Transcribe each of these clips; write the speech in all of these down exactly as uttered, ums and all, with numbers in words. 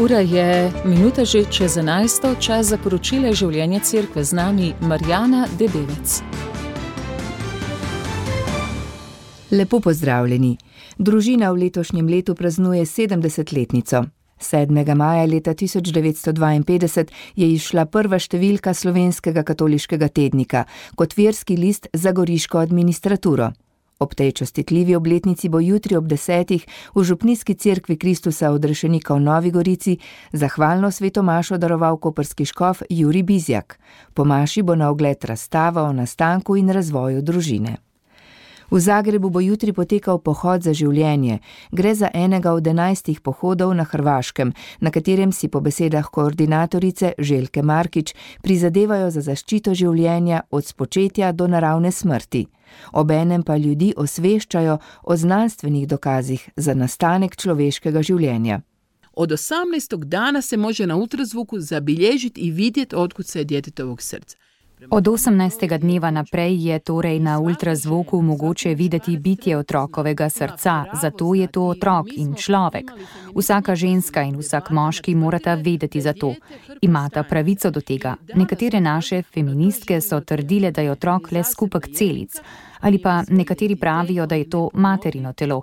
Ura je minuta že čez enajsto, čas za poročile življenja cerkve, z nami Marjana Debevec. Lepo pozdravljeni. Družina v letošnjem letu praznuje sedemdesetletnico. sedmega maja leta tisoč devetsto dvainpetdeset je izšla prva številka Slovenskega katoliškega tednika kot verski list za goriško administraturo. Ob tej častitljivi obletnici bo jutri ob desetih v Župnijski cerkvi Kristusa odrešenika v Novi Gorici zahvalno sveto mašo daroval koprski škof Jurij Bizjak. Po maši bo na ogled razstava o nastanku in razvoju družine. V Zagrebu bo jutri potekal pohod za življenje. Gre za enega od enajstih pohodov na Hrvaškem, na katerem si po besedah koordinatorice Željke Markič prizadevajo za zaščito življenja od spočetja do naravne smrti. Obenem pa ljudi osveščajo o znanstvenih dokazih za nastanek človeškega življenja. Od osamnaestog dana se može na ultrazvuku zabilježiti i vidjeti otkud se je djetetovog srca. Od osemnajstega dneva naprej je torej na ultrazvoku mogoče videti bitje otrokovega srca, zato je to otrok in človek. Vsaka ženska in vsak moški morata vedeti za to. Imata pravico do tega. Nekatere naše feministke so trdile, da je otrok le skupek celic. Ali pa nekateri pravijo, da je to materino telo.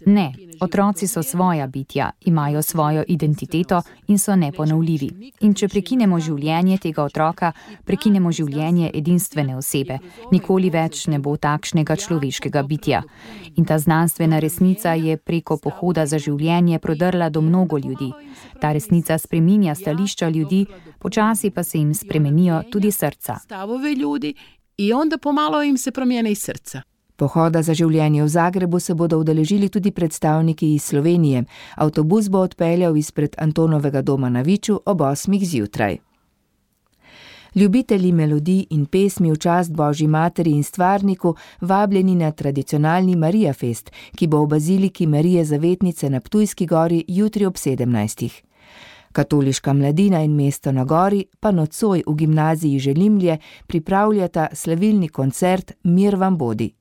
Ne, otroci so svoja bitja, imajo svojo identiteto in so neponovljivi. In če prekinemo življenje tega otroka, prekinemo življenje edinstvene osebe. Nikoli več ne bo takšnega človeškega bitja. In ta znanstvena resnica je preko pohoda za življenje prodrla do mnogo ljudi. Ta resnica spreminja stališča ljudi, počasi pa se jim spremenijo tudi srca. Stavove ljudi. I onda pomalo im se promijene iz srca. Pohoda za življenje v Zagrebu se bodo udeležili tudi predstavniki iz Slovenije. Avtobus bo odpeljal izpred Antonovega doma na Viču ob osmih zjutraj. Ljubitelji melodij in pesmi v čast Božji materi in stvarniku vabljeni na tradicionalni Marija Fest, ki bo v baziliki Marije Zavetnice na Ptujski gori jutri ob sedemnajstih. Katoliška mladina in mesto na gori pa nocoj v gimnaziji Želimlje pripravljata slavilni koncert Mir vam bodi.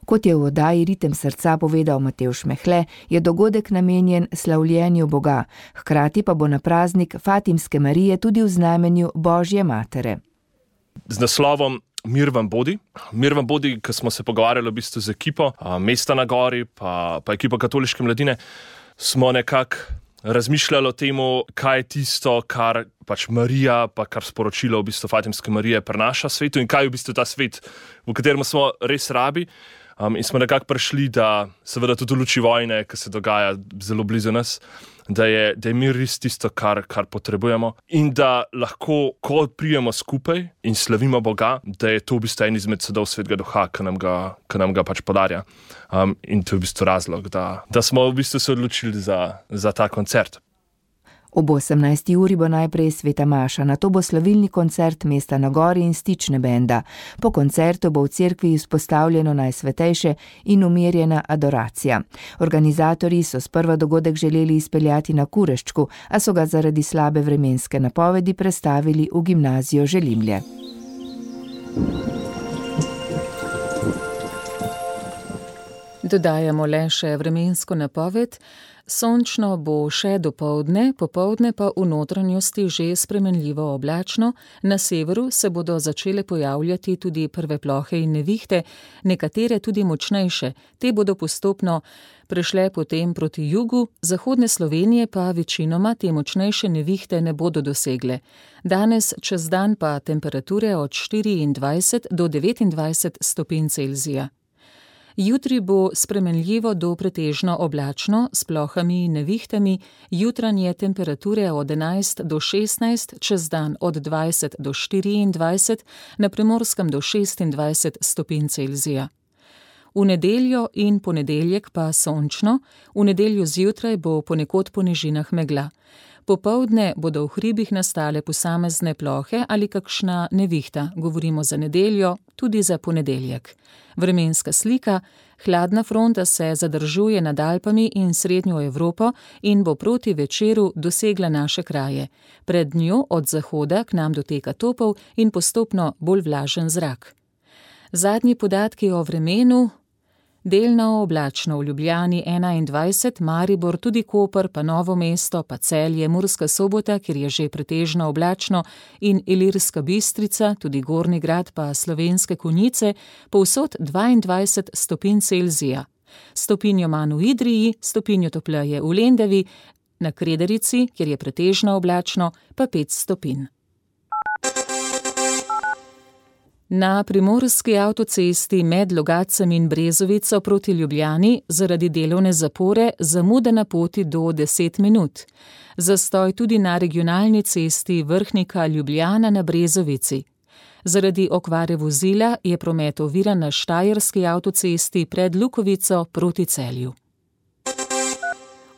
Kot je v oddaji Ritem srca povedal Matevž Mehle, je dogodek namenjen slavljenju Boga, hkrati pa bo na praznik Fatimske Marije tudi v znamenju Božje matere. Z naslovom Mir vam bodi. Mir vam bodi, ko smo se pogovarjali v bistvu z ekipo mesta na gori pa, pa ekipo katoliške mladine, smo nekako razmišljali o temu, kaj je tisto, kar pač Marija, pa kar sporočilo v bistvu Fatimske Marije prenaša svetu in kaj je v bistvu ta svet, v katerem smo res rabi. Um, in smo nekako prišli, da seveda tudi v luči vojne, ki se dogaja zelo blizu nas, da je, da je mir res tisto, kar, kar potrebujemo in da lahko, ko prijemo skupaj in slavimo Boga, da je to v bistvu en izmed sadov Svetega Duha, ki nam ga, ki nam ga pač podarja. Um, in to je v bistvu razlog, da, da smo v bistvu se odločili za, za ta koncert. Ob osemnajsti uri bo najprej sveta maša, nato bo slavilni koncert mesta na gori in stične benda. Po koncertu bo v cerkvi izpostavljeno najsvetejše in umirjena adoracija. Organizatorji so sprva dogodek želeli izpeljati na Kureščku, a so ga zaradi slabe vremenske napovedi prestavili v gimnazijo Želimlje. Dodajamo le še vremensko napoved. Sončno bo še dopoldne, popoldne pa v notranjosti že spremenljivo oblačno. Na severu se bodo začele pojavljati tudi prve plohe in nevihte, nekatere tudi močnejše. Te bodo postopno prešle potem proti jugu, zahodne Slovenije pa večinoma te močnejše nevihte ne bodo dosegle. Danes čez dan pa temperature od štiriindvajset do devetindvajset stopinj Celzija. Jutri bo spremenljivo do pretežno oblačno s plohami in nevihtami, jutranje temperature od enajst do šestnajst, čez dan od dvajset do štiriindvajset, na Primorskem do šestindvajset stopinj Celzija. V nedeljo in ponedeljek pa sončno, v nedeljo zjutraj bo ponekod po nižinah megla. Popoldne bodo v hribih nastale posamezne plohe ali kakšna nevihta, govorimo za nedeljo, tudi za ponedeljek. Vremenska slika, hladna fronta se zadržuje nad Alpami in srednjo Evropo in bo proti večeru dosegla naše kraje. Pred njo od zahoda k nam doteka topel in postopno bolj vlažen zrak. Zadnji podatki o vremenu. Delno oblačno v Ljubljani enaindvajset, Maribor, tudi Koper, pa Novo mesto, pa Celje, Murska Sobota, kjer je že pretežno oblačno, in Ilirska Bistrica, tudi Gornji Grad, pa Slovenske Konjice, povsod dvaindvajset stopinj Celzija. Stopinjo manj v Idriji, stopinjo topleje v Lendavi, na Krederici, kjer je pretežno oblačno, pa pet stopinj. Na primorski avtocesti med Logatcem in Brezovico proti Ljubljani zaradi delovne zapore zamuda na poti do deset minut. Zastoj tudi na regionalni cesti Vrhnika-Ljubljana na Brezovici. Zaradi okvare vozila je promet oviran na štajerski avtocesti pred Lukovico proti Celju.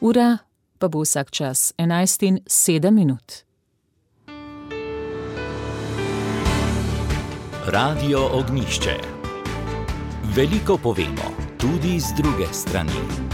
Ura pa bo vsak čas enajst in sedem minut. Radio Ognjišče. Veliko povemo, tudi z druge strani.